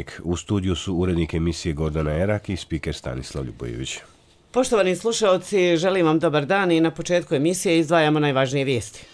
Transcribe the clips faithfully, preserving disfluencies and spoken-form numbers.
Dnevnik. U studiju su urednik emisije Gordana Erak i spiker Stanislav Ljubojević. Poštovani slušaoci, želim vam dobar dan i na početku emisije izdvajamo najvažnije vijesti.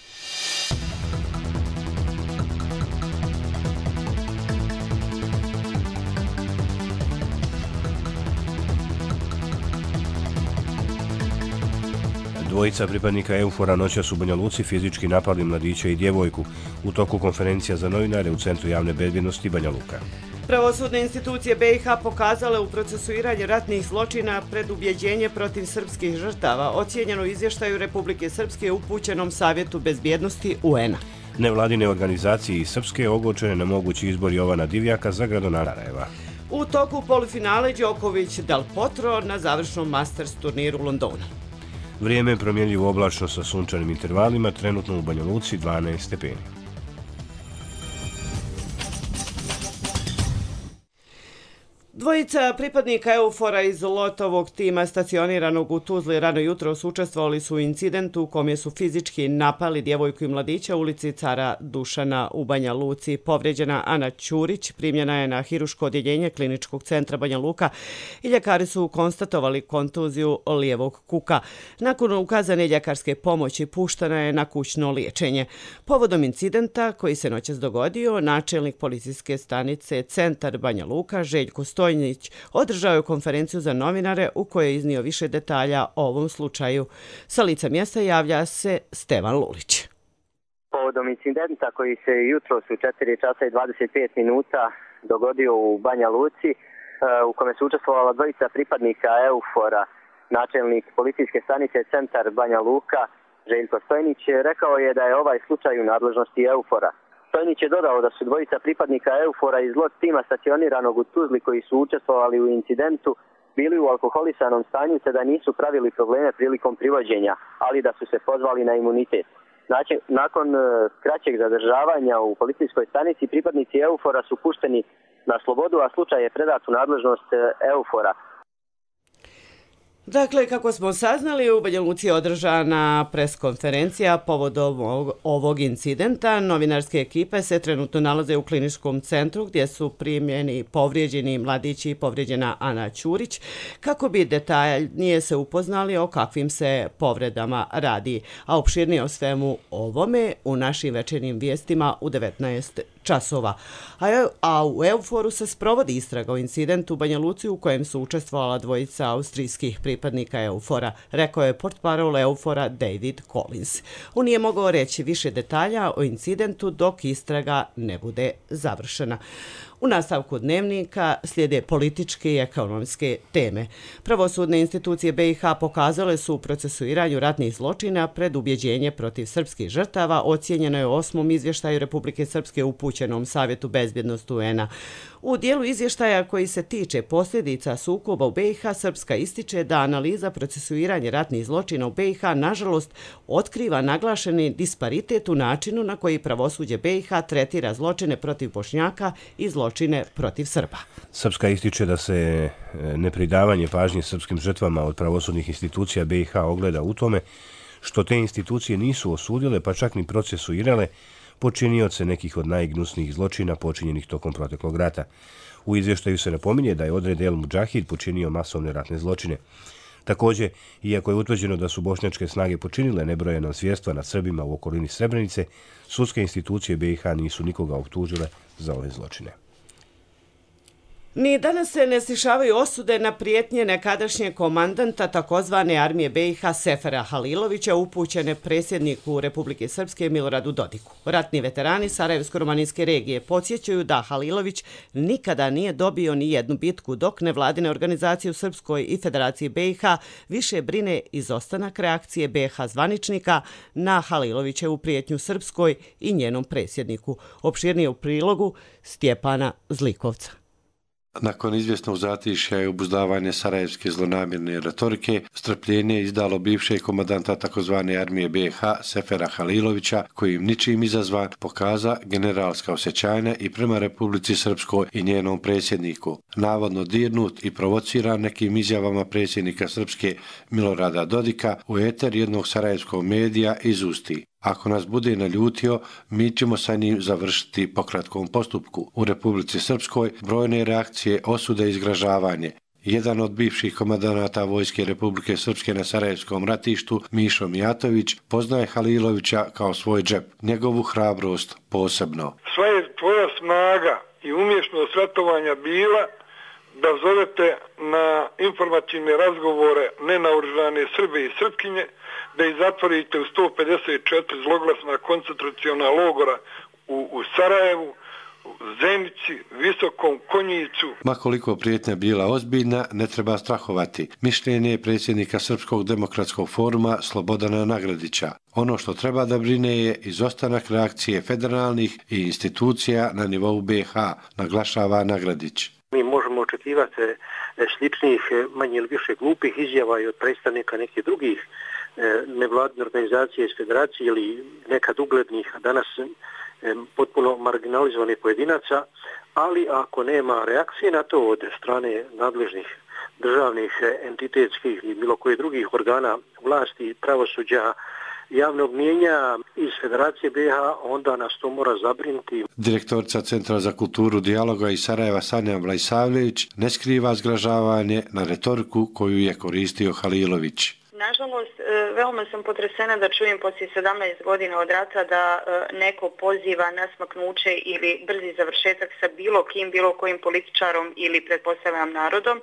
Dvojica pripadnika EUFOR-a noćas u Banja Luci fizički napali mladića i djevojku u toku konferencija za novinare u Centru javne bezbjednosti Banja Luka. Pravosudne institucije B i H pokazale u procesuiranju ratnih zločina predubjeđenje protiv srpskih žrtava, ocijenjeno u izvještaju Republike Srpske upućenom Savjetu bezbjednosti U N-a. Nevladine organizacije iz Srpske ogorčene na mogući izbor Jovana Divjaka za gradonačelnika. U toku polufinale Đoković Del Potro na završnom Masters turniru u Londonu. Vrijeme je promjenljivo oblačno sa sunčanim intervalima, trenutno u Banja Luci dvanaest stepeni. Dvojica pripadnika EUFOR-a iz Lotovog tima stacioniranog u Tuzli rano jutros učestvovali su u incidentu u kome su fizički napali djevojku i mladića u ulici Cara Dušana u Banja Luci. Povrijeđena Ana Ćurić primljena je na hiruško odjeljenje Kliničkog centra Banja Luka i ljekari su konstatovali kontuziju lijevog kuka. Nakon ukazane ljekarske pomoći puštena je na kućno liječenje. Povodom incidenta koji se noćas dogodio, načelnik policijske stanice Centar Banja Luka Željko Stojnić održao je konferenciju za novinare u kojoj je iznio više detalja o ovom slučaju. Sa lica mjesta javlja se Stevan Lulić. Povodom incidenta koji se jutros u četiri časa i dvadeset pet minuta dogodio u Banja Luci, u kome su učestvovala dvojica pripadnika EUFOR-a, načelnik policijske stanice Centar Banja Luka Željko Stojnić rekao je da je ovaj slučaj u nadležnosti EUFOR-a. Stojnić je dodao da su dvojica pripadnika EUFOR-a iz lot tima stacioniranog u Tuzli koji su učestvovali u incidentu bili u alkoholisanom stanju te da nisu pravili probleme prilikom privođenja, ali da su se pozvali na imunitet. Znači, nakon kraćeg zadržavanja u policijskoj stanici pripadnici EUFOR-a su pušteni na slobodu, a slučaj je predat u nadležnost EUFOR-a. Dakle, kako smo saznali, u Banja Luci je održana preskonferencija povodom ovog, ovog incidenta. Novinarske ekipe se trenutno nalaze u kliničkom centru gdje su primljeni povrijeđeni mladići i povrijeđena Ana Ćurić kako bi detaljnije se upoznali o kakvim se povredama radi. A opširnije o svemu ovome u našim večernjim vijestima u devetnaest časova. A u EUFOR-u se sprovodi istraga o incidentu u Banja Luci u kojem su učestvovala dvojica austrijskih pripadnika EUFOR-a, rekao je portparol EUFOR-a David Collins. On nije mogao reći više detalja o incidentu dok istraga ne bude završena. U nastavku dnevnika slijede političke i ekonomske teme. Pravosudne institucije B i H pokazale su u procesuiranju ratnih zločina predubjeđenje protiv srpskih žrtava, ocijenjeno je u osmom izvještaju Republike Srpske upućenom Savjetu bezbjednosti U N-a. U dijelu izvještaja koji se tiče posljedica sukoba u B i H, Srpska ističe da analiza procesuiranja ratnih zločina u B i H nažalost otkriva naglašeni disparitet u načinu na koji pravosuđe B i H tretira zločine protiv Bošnjaka i zločine protiv Srba. Srpska ističe da se nepridavanje pažnje srpskim žrtvama od pravosudnih institucija B i H ogleda u tome što te institucije nisu osudile pa čak ni procesuirale počinioce nekih od najgnusnijih zločina počinjenih tokom proteklog rata. U izvještaju se napominje da je odred El Mudžahid počinio masovne ratne zločine. Također, iako je utvrđeno da su bošnjačke snage počinile nebrojena zvjerstva nad Srbima u okolini Srebrenice, sudske institucije B i H nisu nikoga optužile za ove zločine. Ni danas se ne stišavaju osude na prijetnje nekadašnjeg komandanta takozvane armije B i H Sefera Halilovića upućene predsjedniku Republike Srpske Miloradu Dodiku. Ratni veterani Sarajevsko-romanijske regije podsjećaju da Halilović nikada nije dobio ni jednu bitku, dok nevladine organizacije u Srpskoj i Federaciji B i H više brine izostanak reakcije B i H zvaničnika na Halilovićevu prijetnju Srpskoj i njenom predsjedniku. Opširnije u prilogu Stjepana Zlikovca. Nakon izvjesnog zatišja i obuzdavanja sarajevske zlonamjerne retorike, strpljenje je izdalo bivšeg komandanta tzv. Armije B i H Sefera Halilovića, kojim ničim izazvan pokaza generalska osjećanja i prema Republici Srpskoj i njenom predsjedniku. Navodno dirnut i provociran nekim izjavama predsjednika Srpske Milorada Dodika u eter jednog sarajevskog medija izusti: Ako nas bude naljutio, mi ćemo sa njim završiti po kratkom postupku. U Republici Srpskoj brojne reakcije, osude i izgražavanje. Jedan od bivših komandanata Vojske Republike Srpske na Sarajevskom ratištu, Mišo Mijatović, poznaje Halilovića kao svoj džep, njegovu hrabrost posebno. Sva je tvoja snaga i umješnost ratovanja bila da zovete na informativne razgovore nenaoružane Srbe i Srpkinje, da ih zatvorite u sto pedeset četiri zloglasna koncentraciona logora u, u Sarajevu, u Zenici, Visokom, Konjicu. Ma koliko prijetnja bila ozbiljna, ne treba strahovati. Mišljenje je predsjednika Srpskog demokratskog foruma Slobodana Nagradića. Ono što treba da brine je izostanak reakcije federalnih i institucija na nivou B iH, naglašava Nagradić. Mi možemo očekivati sličnih, manje ili više glupih izjava i od predstavnika nekih drugih nevladine organizacije iz federacije ili nekad uglednih, a danas potpuno marginalizovanih pojedinaca, ali ako nema reakcije na to od strane nadležnih državnih, entitetskih i bilo kojih drugih organa vlasti, pravosuđa, javnog mijenja iz Federacije B iH, onda nas to mora zabrinuti. Direktorica Centra za kulturu dijaloga iz Sarajeva Sanja Vlajsavljević ne skriva zgražavanje na retoriku koju je koristio Halilović. Nažalost, veoma sam potresena da čujem poslije sedamnaest godina od rata da neko poziva na smaknuće ili brzi završetak sa bilo kim, bilo kojim političarom ili pretpostavljam narodom.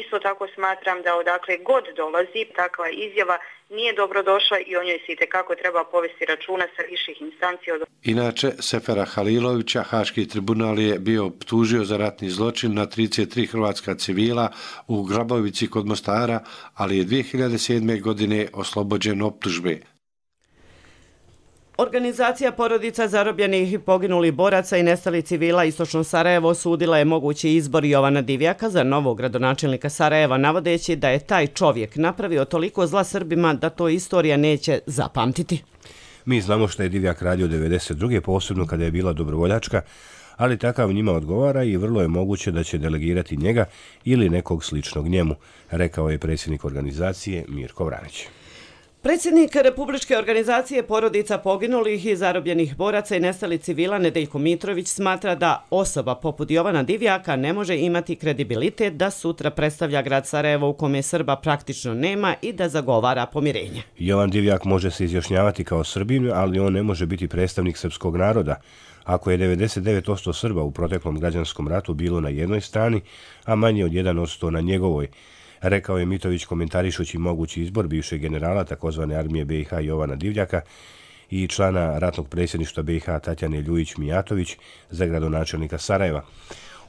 Isto tako smatram da odakle god dolazi takva izjava nije dobrodošla i o njoj se itekako treba povesti računa sa viših instanci. Inače, Sefera Halilovića Haški tribunal je bio optužio za ratni zločin na trideset tri hrvatska civila u Grabovici kod Mostara, ali je dvije hiljade sedme. godine oslobođen optužbe. Organizacija porodica zarobljenih i poginulih boraca i nestalih civila Istočno Sarajevo osudila je mogući izbor Jovana Divjaka za novog gradonačelnika Sarajeva, navodeći da je taj čovjek napravio toliko zla Srbima da to istorija neće zapamtiti. Mi znamo što je Divjak radio devedeset druge posebno kada je bila dobrovoljačka, ali takav njima odgovara i vrlo je moguće da će delegirati njega ili nekog sličnog njemu, rekao je predsjednik organizacije Mirko Vranić. Predsjednik Republičke organizacije porodica poginulih i zarobljenih boraca i nestalih civila Nedeljko Mitrović smatra da osoba poput Jovana Divjaka ne može imati kredibilitet da sutra predstavlja grad Sarajevo u kome Srba praktično nema i da zagovara pomirenje. Jovan Divjak može se izjašnjavati kao Srbin, ali on ne može biti predstavnik srpskog naroda. Ako je devedeset devet posto Srba u proteklom građanskom ratu bilo na jednoj strani, a manje od jedan posto na njegovoj, rekao je Mitović komentarišući mogući izbor bivšeg generala takozvane armije B iH Jovana Divjaka i člana ratnog predsjedništva B iH Tatjane Ljujić-Mijatović za gradonačelnika Sarajeva.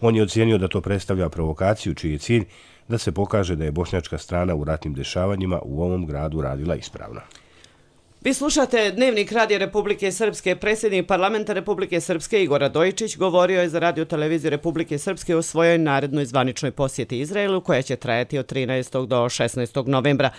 On je ocijenio da to predstavlja provokaciju čiji je cilj da se pokaže da je bošnjačka strana u ratnim dešavanjima u ovom gradu radila ispravno. Vi slušate Dnevnik Radija Republike Srpske. Predsjednik parlamenta Republike Srpske Igor Radojičić govorio je za radio televiziju Republike Srpske o svojoj narednoj zvaničnoj posjeti Izraelu koja će trajati od trinaestog do šesnaestog novembra.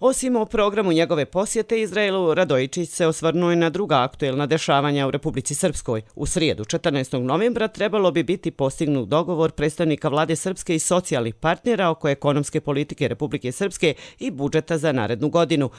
Osim o programu njegove posjete Izraelu, Radojičić se osvrnuo i na druga aktuelna dešavanja u Republici Srpskoj. U srijedu, četrnaestog novembra, trebalo bi biti postignut dogovor predstavnika vlade Srpske i socijalnih partnera oko ekonomske politike Republike Srpske i budžeta za narednu godinu.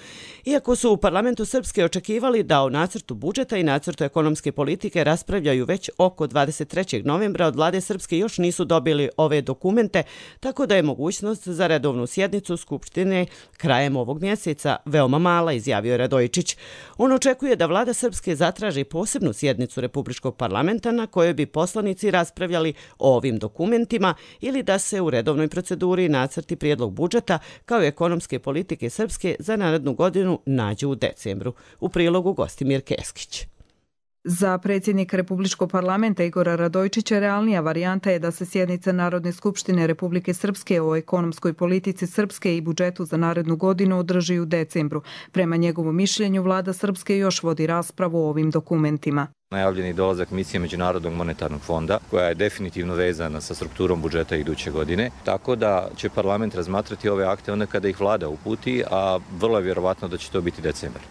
Iako su u parlamentu Srpske očekivali da o nacrtu budžeta i nacrtu ekonomske politike raspravljaju već oko dvadeset trećeg novembra, od vlade Srpske još nisu dobili ove dokumente, tako da je mogućnost za redovnu sjednicu Skupštine krajem ovog mjeseca veoma mala, izjavio je Radojičić. On očekuje da vlada Srpske zatraži posebnu sjednicu Republičkog parlamenta na kojoj bi poslanici raspravljali o ovim dokumentima ili da se u redovnoj proceduri nacrti prijedlog budžeta kao i ekonomske politike Srpske za narednu godinu nađu u decembru. U prilogu Gostimir Keskić. Za predsjednika Republičkog parlamenta Igora Radojičića realnija varijanta je da se sjednica Narodne skupštine Republike Srpske o ekonomskoj politici Srpske i budžetu za narednu godinu održi u decembru. Prema njegovom mišljenju, vlada Srpske još vodi raspravu o ovim dokumentima. Najavljeni dolazak misije Međunarodnog monetarnog fonda, koja je definitivno vezana sa strukturom budžeta iduće godine, tako da će parlament razmatrati ove akte onda kada ih vlada uputi, a vrlo je vjerovatno da će to biti decembar.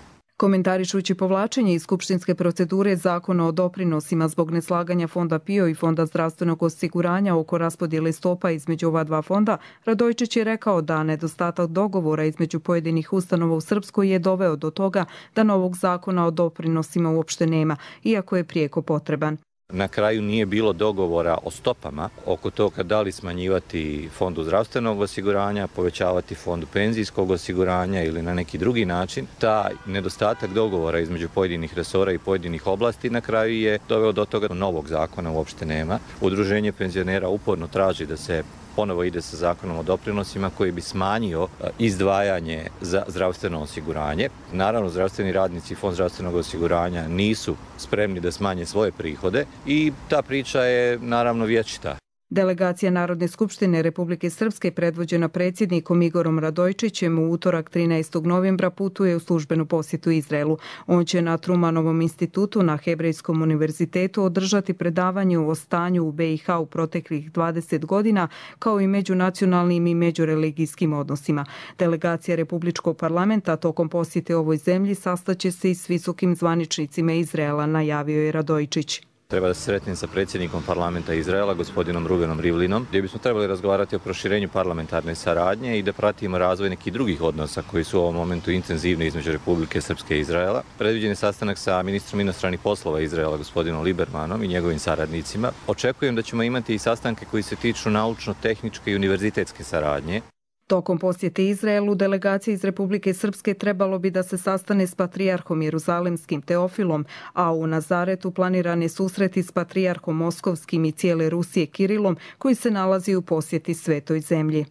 Komentarišući povlačenje iz skupštinske procedure zakona o doprinosima zbog neslaganja Fonda P I O i Fonda zdravstvenog osiguranja oko raspodjele stopa između ova dva fonda, Radojičić je rekao da nedostatak dogovora između pojedinih ustanova u Srpskoj je doveo do toga da novog zakona o doprinosima uopšte nema, iako je prijeko potreban. Na kraju nije bilo dogovora o stopama oko toga da li smanjivati fondu zdravstvenog osiguranja, povećavati fondu penzijskog osiguranja ili na neki drugi način. Ta nedostatak dogovora između pojedinih resora i pojedinih oblasti na kraju je doveo do toga da novog zakona uopšte nema. Udruženje penzionera uporno traži da se ponovo ide sa zakonom o doprinosima koji bi smanjio izdvajanje za zdravstveno osiguranje. Naravno, zdravstveni radnici i Fond zdravstvenog osiguranja nisu spremni da smanje svoje prihode i ta priča je naravno vječita. Delegacija Narodne skupštine Republike Srpske predvođena predsjednikom Igorom Radojičićem u utorak trinaestog novembra putuje u službenu posjetu Izraelu. On će na Trumanovom institutu na Hebrejskom univerzitetu održati predavanje o stanju u B i H u proteklih dvadeset godina, kao i međunacionalnim i međureligijskim odnosima. Delegacija Republičkog parlamenta tokom posjete ovoj zemlji sastaće se i s visokim zvaničnicima Izraela, najavio je Radojičić. Treba da se sretnem sa predsjednikom parlamenta Izraela, gospodinom Ruvenom Rivlinom, gdje bismo trebali razgovarati o proširenju parlamentarne saradnje i da pratimo razvoj nekih drugih odnosa koji su u ovom momentu intenzivni između Republike Srpske i Izraela. Predviđen je sastanak sa ministrom inostranih poslova Izraela, gospodinom Libermanom i njegovim saradnicima. Očekujem da ćemo imati i sastanke koji se tiču naučno-tehničke i univerzitetske saradnje. Tokom posjete Izraelu, delegacija iz Republike Srpske trebalo bi da se sastane s patrijarhom Jeruzalemskim Teofilom, a u Nazaretu planiran je susreti s patrijarhom Moskovskim i cijele Rusije Kirilom, koji se nalazi u posjeti Svetoj zemlji.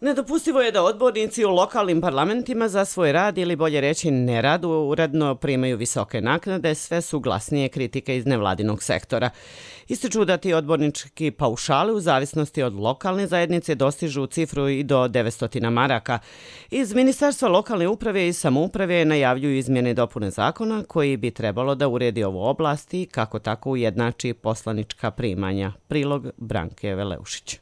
Nedopustivo je da odbornici u lokalnim parlamentima za svoj rad ili bolje reći nerad uredno primaju visoke naknade, sve su glasnije kritike iz nevladinog sektora. Ističu da ti odbornički paušali u zavisnosti od lokalne zajednice dostižu cifru i do devetsto maraka. Iz Ministarstva lokalne uprave i samouprave najavljuju izmjene i dopune zakona koji bi trebalo da uredi ovu oblast i kako tako ujednači poslanička primanja. Prilog Branke Veleušić.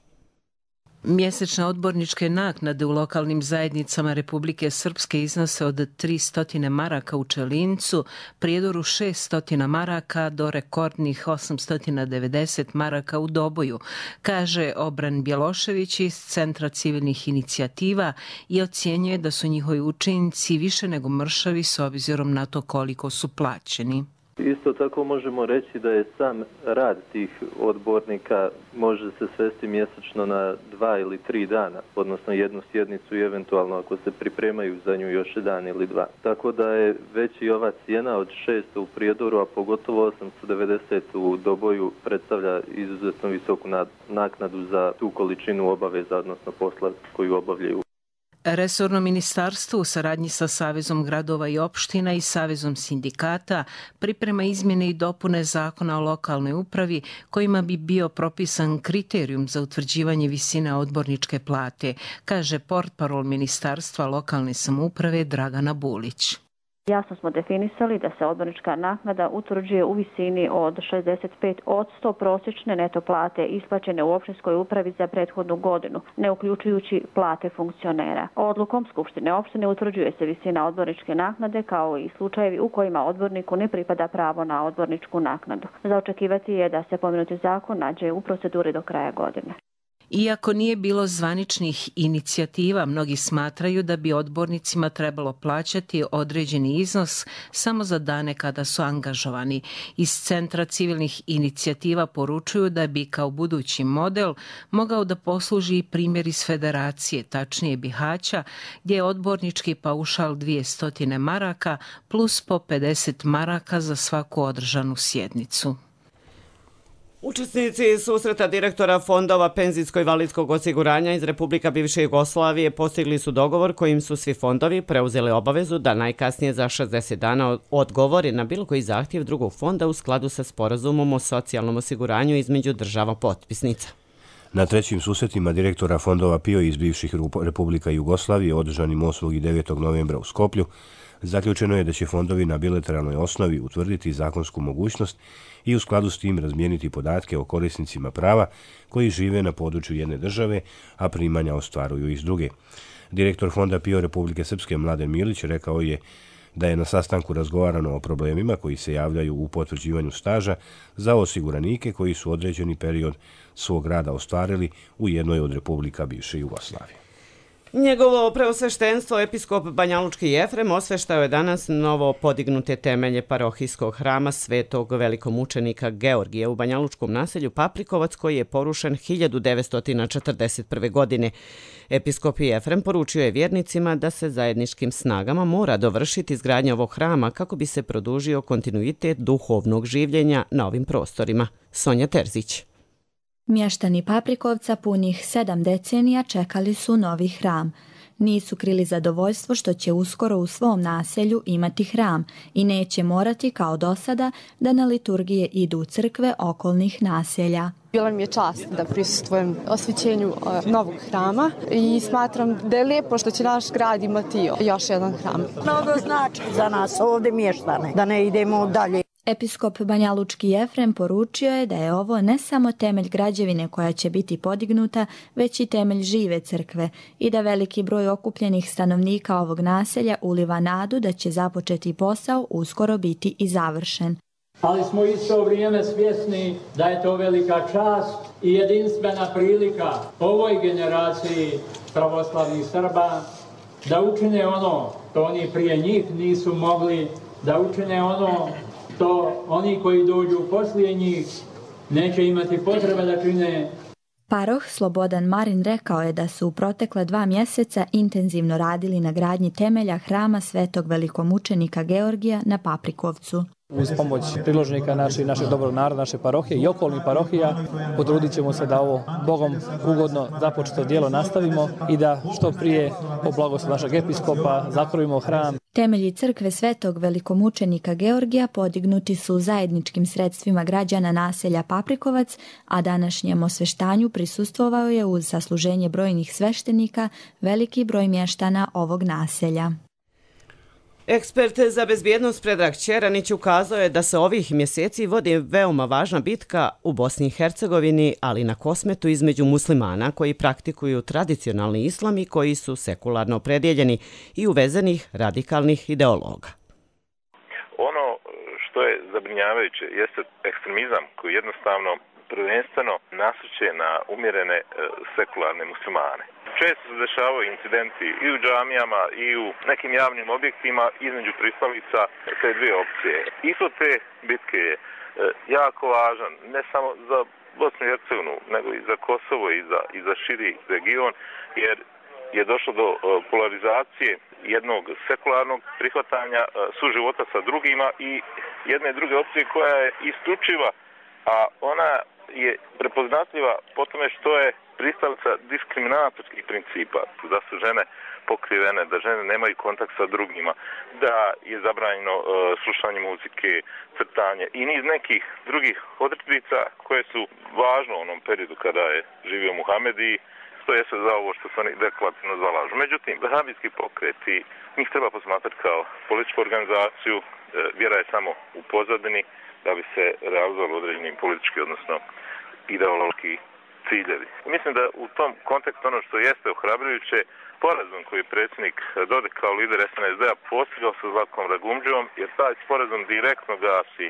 Mjesečne odborničke naknade u lokalnim zajednicama Republike Srpske iznose od tristo maraka u Čelincu, Prijedoru šesto maraka do rekordnih osamsto devedeset maraka u Doboju, kaže Obran Bjelošević iz Centra civilnih inicijativa i ocjenjuje da su njihovi učinci više nego mršavi s obzirom na to koliko su plaćeni. Isto tako možemo reći da je sam rad tih odbornika može se svesti mjesečno na dva ili tri dana, odnosno jednu sjednicu i eventualno ako se pripremaju za nju još jedan ili dva. Tako da je već i ova cijena od šesto u Prijedoru, a pogotovo osamsto devedeset u Doboju predstavlja izuzetno visoku naknadu za tu količinu obaveza, odnosno posla koju obavljaju. Resorno ministarstvo u saradnji sa Savezom gradova i opština i Savezom sindikata priprema izmjene i dopune zakona o lokalnoj upravi kojima bi bio propisan kriterijum za utvrđivanje visine odborničke plate, kaže portparol Ministarstva lokalne samouprave Dragana Bulić. Jasno smo definisali da se odbornička naknada utvrđuje u visini od šezdeset pet posto prosječne neto plate isplaćene u opštinskoj upravi za prethodnu godinu, ne uključujući plate funkcionera. Odlukom Skupštine opštine utvrđuje se visina odborničke naknade kao i slučajevi u kojima odborniku ne pripada pravo na odborničku naknadu. Za očekivati je da se pomenuti zakon nađe u proceduri do kraja godine. Iako nije bilo zvaničnih inicijativa, mnogi smatraju da bi odbornicima trebalo plaćati određeni iznos samo za dane kada su angažovani. Iz Centra civilnih inicijativa poručuju da bi kao budući model mogao da posluži i primjer iz Federacije, tačnije Bihaća, gdje je odbornički paušal dvjesto maraka plus po pedeset maraka za svaku održanu sjednicu. Učesnici susreta direktora fondova penzijsko-invalidskog osiguranja iz Republika bivše Jugoslavije postigli su dogovor kojim su svi fondovi preuzeli obavezu da najkasnije za šezdeset dana odgovori na bilo koji zahtjev drugog fonda u skladu sa sporazumom o socijalnom osiguranju između država potpisnica. Na trećim susretima direktora fondova P I O iz bivših Republika Jugoslavije održanim osmog i devetog novembra u Skoplju zaključeno je da će fondovi na bilateralnoj osnovi utvrditi zakonsku mogućnost i u skladu s tim razmijeniti podatke o korisnicima prava koji žive na području jedne države, a primanja ostvaruju iz druge. Direktor Fonda PIO Republike Srpske Mladen Milić rekao je da je na sastanku razgovarano o problemima koji se javljaju u potvrđivanju staža za osiguranike koji su određeni period svog rada ostvarili u jednoj od republika bivše Jugoslavije. Njegovo preosveštenstvo episkop Banjalučki Jefrem osveštao je danas novo podignute temelje parohijskog hrama Svetog velikomučenika Georgija u banjalučkom naselju Paprikovac koji je porušen hiljadu devetsto četrdeset prve. godine. Episkop Jefrem poručio je vjernicima da se zajedničkim snagama mora dovršiti izgradnja ovog hrama kako bi se produžio kontinuitet duhovnog življenja na ovim prostorima. Sonja Terzić. Mještani Paprikovca punih sedam decenija čekali su novi hram. Nisu krili zadovoljstvo što će uskoro u svom naselju imati hram i neće morati kao do sada da na liturgije idu u crkve okolnih naselja. Bila mi je čast da prisustvujem osvećenju novog hrama i smatram da je lijepo što će naš grad imati još jedan hram. Mnogo znači za nas ovdje mještane, da ne idemo dalje. Episkop Banjalučki Jefrem poručio je da je ovo ne samo temelj građevine koja će biti podignuta, već i temelj žive crkve i da veliki broj okupljenih stanovnika ovog naselja uliva nadu da će započeti posao uskoro biti i završen. Ali smo isto vrijeme svjesni da je to velika čast i jedinstvena prilika ovoj generaciji pravoslavnih Srba da učine ono što oni prije njih nisu mogli, da učine ono to oni koji dođu poslije njih neće imati potrebe da čine. Paroh Slobodan Marin rekao je da su u protekla dva mjeseca intenzivno radili na gradnji temelja hrama Svetog velikomučenika Georgija na Paprikovcu. Uz pomoć priložnika naših, našeg dobrog naroda, naše parohije i okolnih parohija, potrudit ćemo se da ovo Bogom ugodno započeto djelo nastavimo i da što prije po blagoslovu našeg episkopa zakrojimo hram. Temelji crkve Svetog velikomučenika Georgija podignuti su zajedničkim sredstvima građana naselja Paprikovac, a današnjem osveštanju prisustvovao je uz sasluženje brojnih sveštenika veliki broj mještana ovog naselja. Ekspert za bezbjednost Predrag Ćeranić ukazao je da se ovih mjeseci vodi veoma važna bitka u Bosni i Hercegovini, ali na Kosmetu između muslimana koji praktikuju tradicionalni islam i koji su sekularno opredjeljeni i uvezenih radikalnih ideologa. Ono što je zabrinjavajuće jeste ekstremizam koji jednostavno prvenstveno nasrće na umjerene sekularne muslimane. Često se dešavaju incidenti i u džamijama i u nekim javnim objektima između pristalica te dvije opcije. Ishod te bitke je jako važan, ne samo za Bosnu i Hercegovinu, nego i za Kosovo i za, i za širi region, jer je došlo do polarizacije jednog sekularnog prihvatanja suživota sa drugima i jedne druge opcije koja je isključiva, a ona je prepoznatljiva po tome što je pristalica diskriminatorskih principa, da su žene pokrivene, da žene nemaju kontakt sa drugima, da je zabranjeno uh, slušanje muzike, crtanje i niz nekih drugih odredbica koje su važne u onom periodu kada je živio Muhamed i stoje se za ovo što se oni deklarativno zalažu. Međutim, vahabijski pokret i njih treba posmatrati kao političku organizaciju, uh, vjera je samo u pozadini da bi se realizovali određeni politički, odnosno ideološki ciljevi. Mislim da u tom kontekstu ono što jeste ohrabrujuće, sporazum koji je predsjednik Dodik kao lider es en es de-a postigao sa Zlatkom Ragumđiom, jer taj sporazum direktno gasi,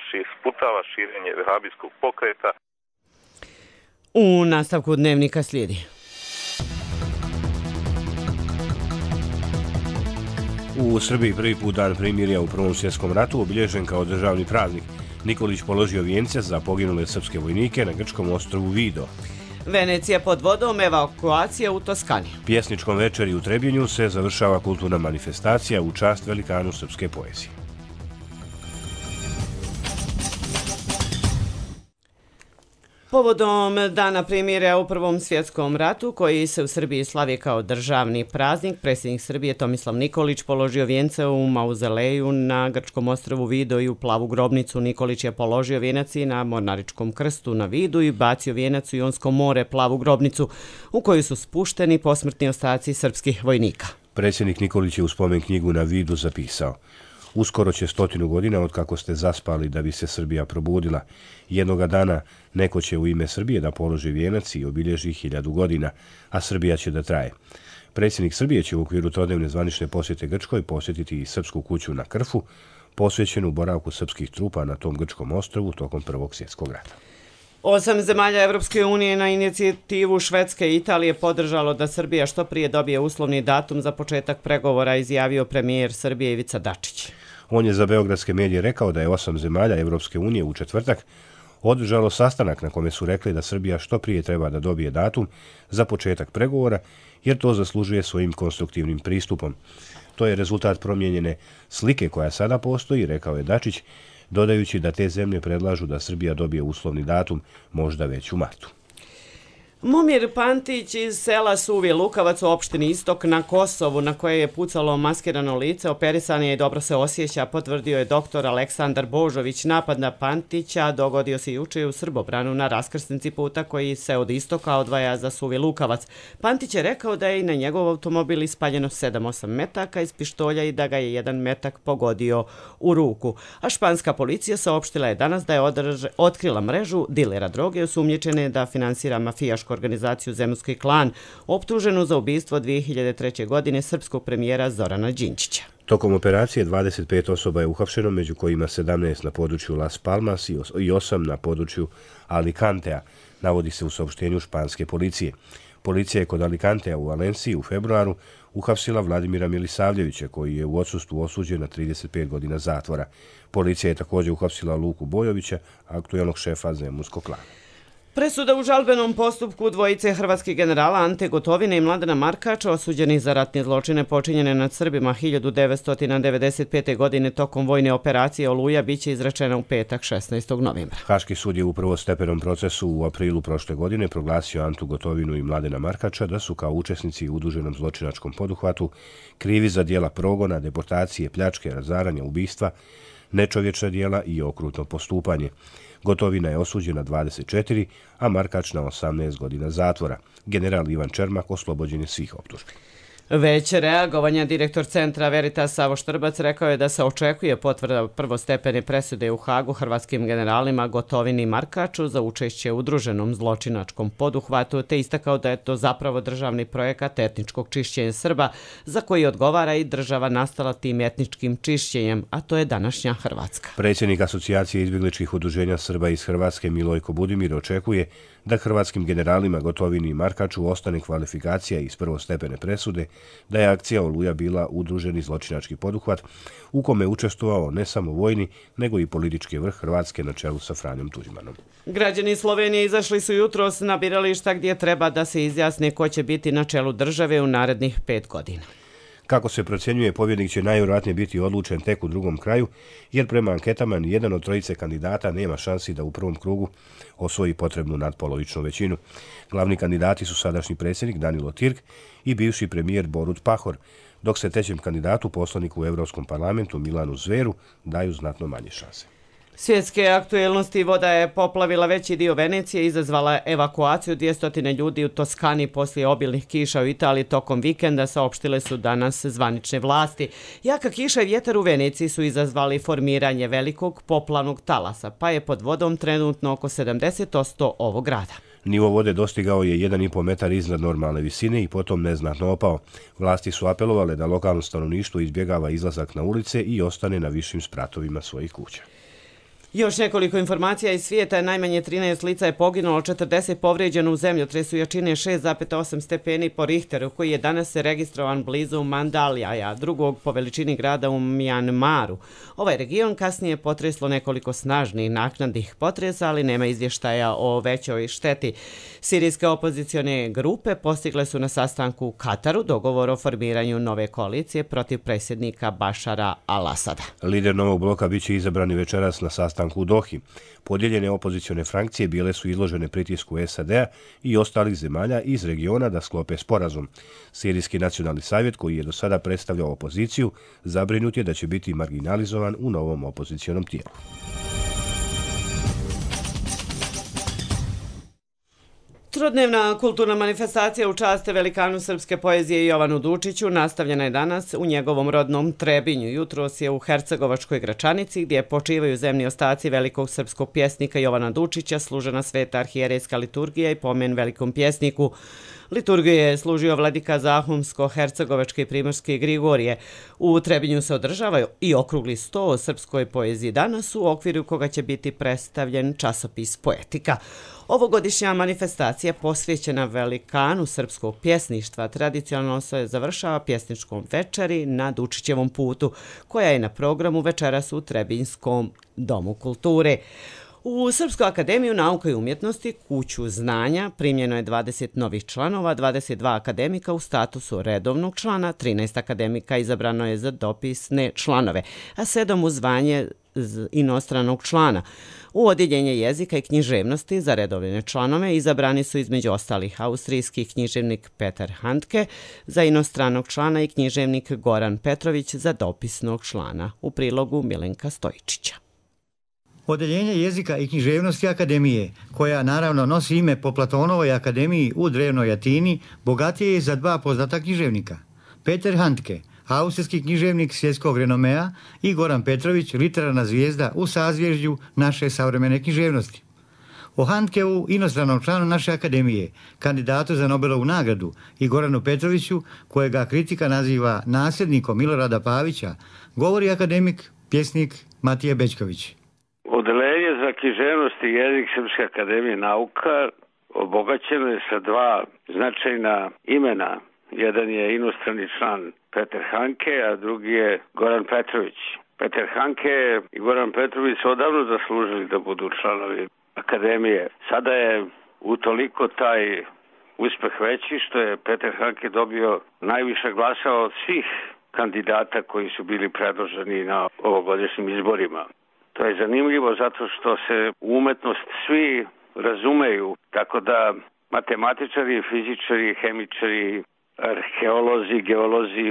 ši, sputava širenje vehabijskog pokreta. U nastavku dnevnika slijedi. U Srbiji prvi put dan primirja u Prvom svjetskom ratu obilježen kao državni praznik. Nikolić položio vijence za poginule srpske vojnike na grčkom ostrvu Vido. Venecija pod vodom, evakuacija u Toskani. Pjesničkom večeri u Trebinju se završava kulturna manifestacija u čast velikanu srpske poezije. Povodom Dana primirja u Prvom svjetskom ratu, koji se u Srbiji slavi kao državni praznik, predsjednik Srbije Tomislav Nikolić položio vijence u mauzeleju na grčkom ostrvu Vido i u plavu grobnicu. Nikolić je položio vijenac i na Mornaričkom krstu na Vidu i bacio vijenac u Jonsko more, plavu grobnicu, u koju su spušteni posmrtni ostaci srpskih vojnika. Predsjednik Nikolić je u spomen knjigu na Vidu zapisao: uskoro će stotinu godina od kako ste zaspali da bi se Srbija probudila. Jednoga dana neko će u ime Srbije da položi vijenac i obilježi hiljadu godina, a Srbija će da traje. Predsjednik Srbije će u okviru trodnevne zvanične posjete Grčkoj posjetiti i Srpsku kuću na Krfu, posvećenu boravku srpskih trupa na tom grčkom ostrvu tokom Prvog svjetskog rata. Osam zemalja Evropske unije na inicijativu Švedske i Italije podržalo da Srbija što prije dobije uslovni datum za početak pregovora, izjavio premijer Srbije Ivica Dačić. On je za beogradske medije rekao da je osam zemalja Evropske unije u četvrtak održalo sastanak na kome su rekli da Srbija što prije treba da dobije datum za početak pregovora, jer to zaslužuje svojim konstruktivnim pristupom. To je rezultat promijenjene slike koja sada postoji, rekao je Dačić, dodajući da te zemlje predlažu da Srbija dobije uslovni datum možda već u martu. Momir Pantić iz sela Suvi Lukavac u opštini Istok na Kosovu, na koje je pucalo maskirano lice, operisan je i dobro se osjeća, potvrdio je doktor Aleksandar Božović. Napad na Pantića dogodio se juče u Srbobranu na raskrsnici puta koji se od Istoka odvaja za Suvi Lukavac. Pantić je rekao da je i na njegov automobil ispaljeno sedam osam metaka iz pištolja i da ga je jedan metak pogodio u ruku. A španska policija saopštila je danas da je održ, otkrila mrežu dilera droge osumnjičene da finansira mafijašku organizaciju Zemunski klan, optuženu za ubistvo dvije hiljade treće. godine srpskog premijera Zorana Đinđića. Tokom operacije dvadeset pet osoba je uhapšeno, među kojima sedamnaest na području Las Palmas i osam na području Alicantea, navodi se u saopštenju španske policije. Policija je kod Alicantea u Valenciji u februaru uhapsila Vladimira Milisavljevića, koji je u odsustvu osuđen na trideset pet godina zatvora. Policija je također uhapsila Luku Bojovića, aktuelnog šefa Zemunskog klana. Presuda u žalbenom postupku dvojice hrvatskih generala Ante Gotovine i Mladena Markača, osuđeni za ratne zločine počinjene nad Srbima hiljadu devetsto devedeset pete. godine tokom vojne operacije Oluja, biće izrečena u petak šesnaestog novembra. Haški sud je u prvostepenom procesu u aprilu prošle godine proglasio Antu Gotovinu i Mladena Markača da su kao učesnici u udruženom zločinačkom poduhvatu krivi za dijela progona, deportacije, pljačke, razaranja, ubistva, nečovječna dijela i okrutno postupanje. Gotovina je osuđen na dvadeset četiri, a Markač na osamnaest godina zatvora. General Ivan Čermak oslobođen je svih optužbi. Već reagovanja direktor centra Veritas Savo Štrbac rekao je da se očekuje potvrda prvostepene presude u Hagu hrvatskim generalima Gotovini i Markaču za učešće u udruženom zločinačkom poduhvatu, te istakao da je to zapravo državni projekat etničkog čišćenja Srba, za koji odgovara i država nastala tim etničkim čišćenjem, a to je današnja Hrvatska. Predsjednik Asocijacije izbjegličkih udruženja Srba iz Hrvatske Milojko Budimir očekuje da hrvatskim generalima Gotovini i Markaču ostane kvalifikacija iz prvostepene presude da je akcija Oluja bila udruženi zločinački poduhvat u kome je učestvovao ne samo vojni, nego i politički vrh Hrvatske na čelu sa Franjom Tuđmanom. Građani Slovenije izašli su jutros na birališta gdje treba da se izjasne ko će biti na čelu države u narednih pet godina. Kako se procjenjuje, pobjednik će najvjerojatnije biti odlučen tek u drugom kraju, jer prema anketama nijedan od trojice kandidata nema šansi da u prvom krugu osvoji potrebnu nadpolovičnu većinu. Glavni kandidati su sadašnji predsjednik Danilo Tirk i bivši premijer Borut Pahor, dok se trećem kandidatu, poslaniku u Europskom parlamentu Milanu Zveru, daju znatno manje šanse. Svjetske aktuelnosti: voda je poplavila veći dio Venecije, izazvala evakuaciju dvjesto ljudi u Toskani poslije obilnih kiša u Italiji tokom vikenda, saopštile su danas zvanične vlasti. Jaka kiša i vjetar u Veneciji su izazvali formiranje velikog poplavnog talasa, pa je pod vodom trenutno oko sedamdeset posto ovog grada. Nivo vode dostigao je jedan i po metar iznad normalne visine i potom neznatno opao. Vlasti su apelovale da lokalno stanovništvo izbjegava izlazak na ulice i ostane na višim spratovima svojih kuća. Još nekoliko informacija iz svijeta: najmanje trinaest lica je poginulo, četrdeset povrijeđeno u zemljotresu jačine šest zarez osam stepeni po Richteru, koji je danas registrovan blizu Mandaljaja, drugog po veličini grada u Mjanmaru. Ovaj region kasnije potreslo nekoliko snažnih naknadnih potresa, ali nema izvještaja o većoj šteti. Sirijske opozicione grupe postigle su na sastanku u Kataru dogovor o formiranju nove koalicije protiv predsjednika Bašara al-Asada. Lider novog bloka biće izabrani večeras na sastanku u Dohi. Podijeljene opozicione frakcije bile su izložene pritisku S A D-a i ostalih zemalja iz regiona da sklope sporazum. Sirijski nacionalni savjet, koji je do sada predstavljao opoziciju, zabrinut je da će biti marginalizovan u novom opozicionom tijelu. Trodnevna kulturna manifestacija u čast velikanu srpske poezije Jovanu Dučiću nastavljena je danas u njegovom rodnom Trebinju. Jutros je u Hercegovačkoj Gračanici, gdje počivaju zemni ostaci velikog srpskog pjesnika Jovana Dučića, služena sveta arhijerejska liturgija i pomen velikom pjesniku. Liturgiju je služio vladika Zahumsko-Hercegovačke i Primorske Grigorije. U Trebinju se održava i okrugli sto o srpskoj poeziji danas, u okviru koga će biti predstavljen časopis Poetika. Ovogodišnja manifestacija posvećena velikanu srpskog pjesništva tradicionalno se završava pjesničkom večeri na Dučićevom putu, koja je na programu večeras u Trebinjskom domu kulture. U Srpsku akademiju nauka i umjetnosti, kuću znanja, primljeno je dvadeset novih članova, dvadeset dva akademika u statusu redovnog člana, trinaest akademika izabrano je za dopisne članove, a sedam u zvanje inostranog člana. U odjeljenje jezika i književnosti za redovne članove izabrani su između ostalih austrijski književnik Peter Handke za inostranog člana i književnik Goran Petrović za dopisnog člana. U prilogu Milenka Stojičića. Odeljenje jezika i književnosti Akademije, koja naravno nosi ime po Platonovoj akademiji u drevnoj Atini, bogatije je za dva poznata književnika. Peter Handke, austrijski književnik svjetskog renomea, i Goran Petrović, literarna zvijezda u sazvježđu naše savremene književnosti. O Handkevu, inostranom članu naše akademije, kandidatu za Nobelovu nagradu, i Goranu Petroviću, kojega kritika naziva nasljednikom Milorada Pavića, govori akademik, pjesnik Matija Bećković. Odeljenje za književnost i jezik Srpske akademije nauka obogaćeno je sa dva značajna imena. Jedan je inostrani član Peter Handke, a drugi je Goran Petrović. Peter Handke i Goran Petrović su odavno zaslužili da budu članovi akademije. Sada je utoliko taj uspeh veći što je Peter Handke dobio najviše glasa od svih kandidata koji su bili predloženi na ovogodišnjim izborima. To je zanimljivo zato što se u umetnost svi razumeju, tako da matematičari, fizičari, hemičari, arheolozi, geolozi,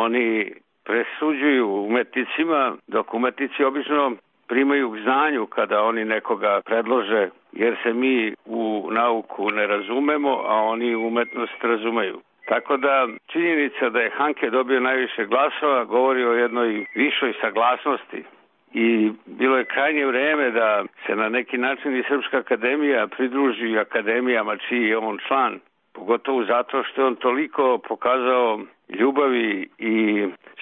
oni presuđuju umetnicima, dok umetnici obično primaju k znanju kada oni nekoga predlože, jer se mi u nauku ne razumemo, a oni umetnost razumeju. Tako da činjenica da je Handke dobio najviše glasova govori o jednoj višoj saglasnosti. I bilo je krajnje vreme da se na neki način i Srpska akademija pridruži akademijama čiji je on član, pogotovo zato što je on toliko pokazao ljubavi i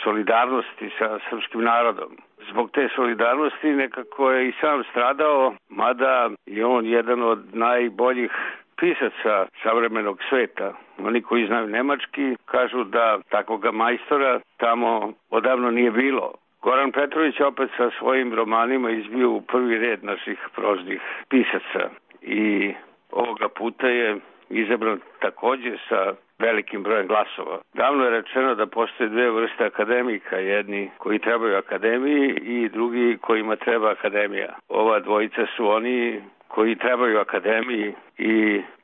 solidarnosti sa srpskim narodom. Zbog te solidarnosti nekako je i sam stradao, mada je on jedan od najboljih pisaca savremenog sveta. Oni koji znaju nemački kažu da takvoga majstora tamo odavno nije bilo. Goran Petrović opet sa svojim romanima izbio u prvi red naših proznih pisaca i ovoga puta je izabran također sa velikim brojem glasova. Davno je rečeno da postoje dve vrste akademika, jedni koji trebaju akademiji i drugi kojima treba akademija. Ova dvojica su oni koji trebaju akademiji i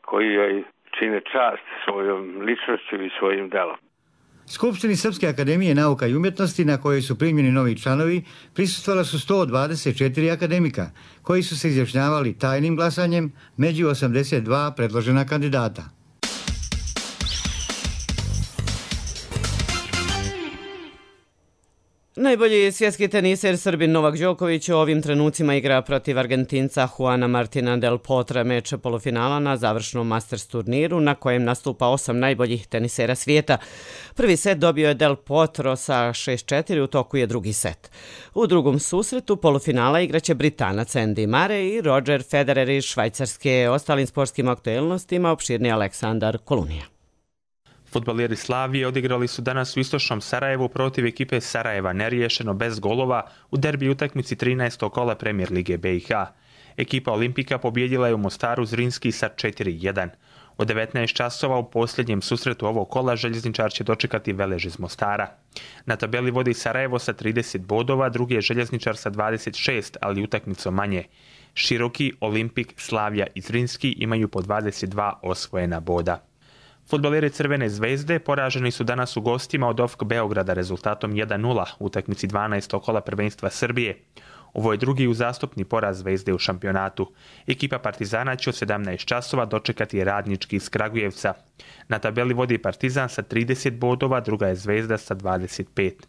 koji joj čine čast svojom ličnošću i svojim delom. Skupštini Srpske akademije nauka i umjetnosti, na kojoj su primljeni novi članovi, prisustvala su sto dvadeset četiri akademika, koji su se izjašnjavali tajnim glasanjem među osamdeset dva predložena kandidata. Najbolji svjetski teniser Srbin Novak Đoković u ovim trenucima igra protiv Argentinca Juana Martina del Potra meč polufinala na završnom Masters turniru na kojem nastupa osam najboljih tenisera svijeta. Prvi set dobio je del Potro sa šest četiri, u toku je drugi set. U drugom susretu polufinala igraće Britanac Andy Murray i Roger Federer iz Švajcarske. Ostalim sportskim aktuelnostima opširni Aleksandar Kolunija. Fudbaleri Slavije odigrali su danas u istočnom Sarajevu protiv ekipe Sarajeva neriješeno bez golova u derbi utakmici trinaestog kola Premijer Lige B i H. Ekipa Olimpika pobjedila je u Mostaru Zrinski sa četiri jedan. U devetnaest časova u posljednjem susretu ovog kola željezničar će dočekati Velež iz Mostara. Na tabeli vodi Sarajevo sa trideset bodova, drugi je željezničar sa dvadeset šest, ali utakmicom manje. Široki, Olimpik, Slavija i Zrinski imaju po dvadeset dva osvojena boda. Fudbaleri Crvene zvezde poraženi su danas u gostima od O F K Beograda rezultatom jedan nula u utakmici dvanaestog kola prvenstva Srbije. Ovo je drugi uzastopni poraz Zvezde u šampionatu. Ekipa Partizana će od sedamnaest časova dočekati Radnički iz Kragujevca. Na tabeli vodi Partizan sa trideset bodova, druga je Zvezda sa dvadeset pet.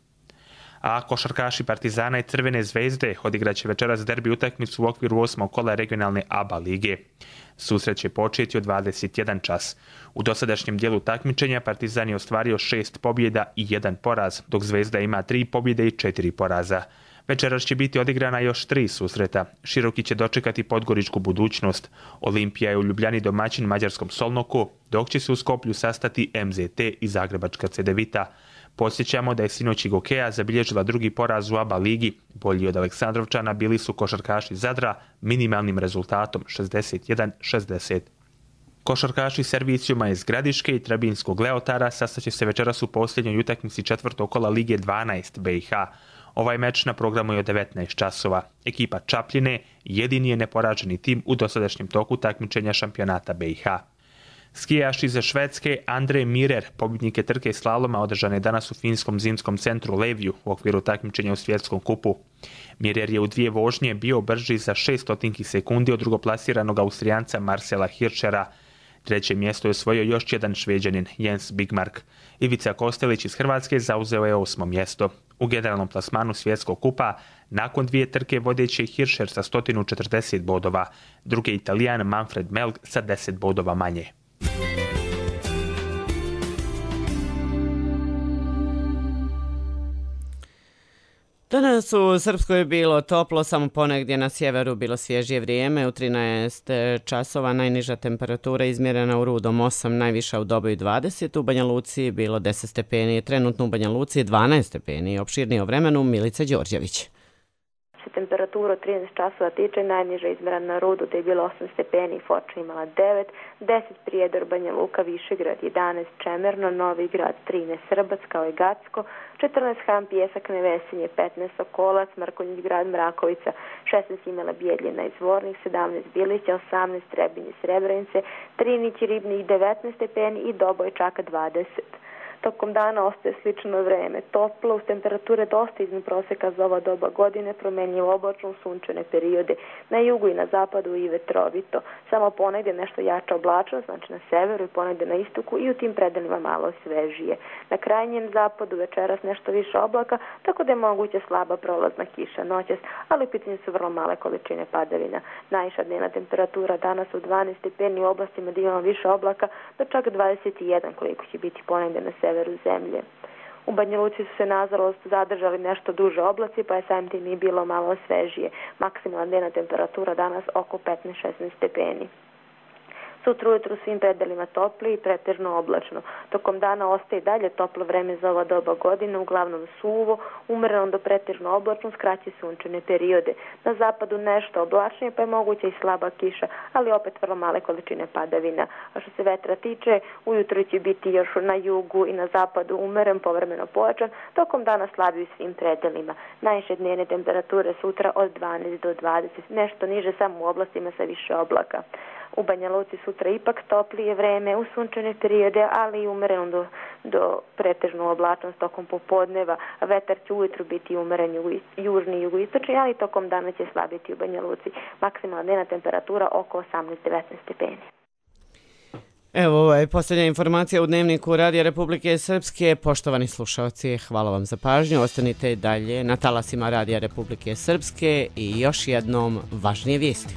a košarkaši Partizana i Crvene zvezde odigraće večeras derbi utakmicu u okviru osmog kola regionalne A B A lige. Susret će početi od dvadeset jedan čas. U dosadašnjem dijelu takmičenja Partizan je ostvario šest pobjeda i jedan poraz, dok Zvezda ima tri pobjede i četiri poraza. Večeras će biti odigrana još tri susreta. Široki će dočekati Podgoričku Budućnost. Olimpija je u Ljubljani domaćin mađarskom Solnoku, dok će se u Skoplju sastati M Z T i Zagrebačka Cedevita. Podsjećamo da je sinoć i Gokeja zabilježila drugi poraz u A B A ligi. Bolji od Aleksandrovčana bili su košarkaši Zadra minimalnim rezultatom šezdeset jedan šezdeset. Košarkaši Servicijuma iz Gradiške i Trebinskog Leotara sastaće se večeras u posljednjoj utakmici četvrtog kola Lige dvanaest B i H. Ovaj meč na programu je od devetnaest časova. Ekipa Čapljine jedini je neporaženi tim u dosadašnjem toku takmičenja šampionata B i H. Skijaš iz Švedske Andre Mirer, pobjednik je trke slaloma održane danas u finskom zimskom centru Levju u okviru takmičenja u svjetskom kupu. Mirer je u dvije vožnje bio brži za šest stotinki sekundi od drugoplasiranog Austrijanca Marcela Hirschera. Treće mjesto je osvojio još jedan Šveđanin, Jens Bigmark. Ivica Kostelić iz Hrvatske zauzeo je osmo mjesto. U generalnom plasmanu svjetskog kupa, nakon dvije trke vodeći je Hirscher sa sto četrdeset bodova, drugi Italijan Manfred Melg sa deset bodova manje. Danas u Srpskoj je bilo toplo, samo ponegdje na sjeveru bilo svježije vrijeme. U trinaest časova najniža temperatura izmjerena u Rudom osam, najviša u Doboju dvadeset, u Banja Luci bilo deset stepeni, trenutno u Banja Luci dvanaest stepeni. Opširnije o vremenu Milica Đorđević. Temperatura od trinaest časova tiče, najniža izmjerena na Rudu da je bilo osam stepeni, Foča imala devet, deset Prijedor, Banja Luka, Višegrad jedanaest, Čemerno, Novi Grad trinaest, Srbac kao i Gacko, četrnaest Ham, Pjesak, Nevesinje, petnaest Sokolac, Mrkonjić Grad, Mrakovica, šesnaest Imela Bijeljina i Zvornik, sedamnaest Bilića, osamnaest Trebinje, Srebrenice, Trinić i Ribnik devetnaest stepeni i Doboj Čaka dvadeset. Tokom dana ostaje slično vreme. Toplo, uz temperature dosta iznad proseka za ova doba godine, promenljivo oblačno, sunčane periode. Na jugu i na zapadu i vetrovito. Samo ponegdje nešto jača oblačnost, znači na severu i ponegdje na istoku i u tim predelima malo svežije. Na krajnjem zapadu večeras nešto više oblaka, tako da je moguća slaba prolazna kiša noćas, ali u pitanju su vrlo male količine padavina. Najviša dnevna temperatura danas u dvanaest stepeni, u oblastima gdje imamo više oblaka, do čak dvadeset jedan koliko će biti ponegdje na severu zemlje. U Banja Luci su se nažalost zadržali nešto duže oblaci, pa je samim tim i bilo malo svežije. Maksimalna dnevna temperatura danas oko petnaest šesnaest stepeni. Sutra ujutru u svim predelima topli i pretežno oblačno. Tokom dana ostaje dalje toplo vreme za ova doba godine, uglavnom suvo, umereno do pretežno oblačno, skraće sunčane periode. Na zapadu nešto oblačnije, pa je moguća i slaba kiša, ali opet vrlo male količine padavina. A što se vetra tiče, ujutru će biti još na jugu i na zapadu umeren, povremeno pojačan, tokom dana slabiji u svim predelima. Najviše dnevne temperature sutra od dvanaest do dvadeset, nešto niže samo u oblastima sa više oblaka. U Banja Luci sutra ipak toplije vreme, u sunčane periode, ali i umereno do, do pretežnu oblačnost tokom popodneva. Vetar će ujutru biti umeren južni i jugoistočni, ali tokom dana će slabiti u Banja Luci. Maksimalna dnevna temperatura oko osamnaest devetnaest stepeni. Evo, ovo je posljednja informacija u Dnevniku Radija Republike Srpske. Poštovani slušalci, hvala vam za pažnju. Ostanite dalje na talasima Radija Republike Srpske i još jednom važnije vijesti.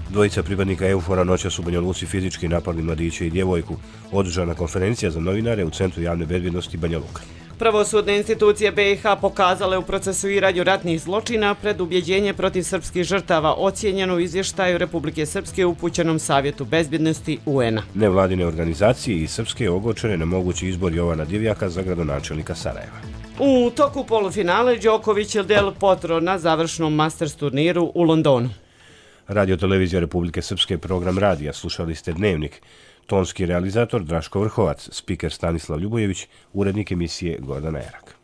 Dvojica pripadnika EUFOR-a noćas u Banja Luci fizički napali mladiće i djevojku. Održana konferencija za novinare u Centru javne bezbjednosti Banja Luka. Pravosudne institucije B i H pokazale u procesuiranju ratnih zločina pred ubjeđenje protiv srpskih žrtava ocijenjeno u izvještaju Republike Srpske upućenom Savjetu bezbjednosti U N-a. Nevladine organizacije i srpske ogorčene na mogući izbor Jovana Divjaka za gradonačelnika Sarajeva. U toku polufinale Đoković Del Potro na završnom Masters turniru u Londonu. Radio Televizija Republike Srpske, program radija, slušali ste Dnevnik. Tonski realizator Draško Vrhovac, spiker Stanislav Ljubojević, urednik emisije Gordana Erak.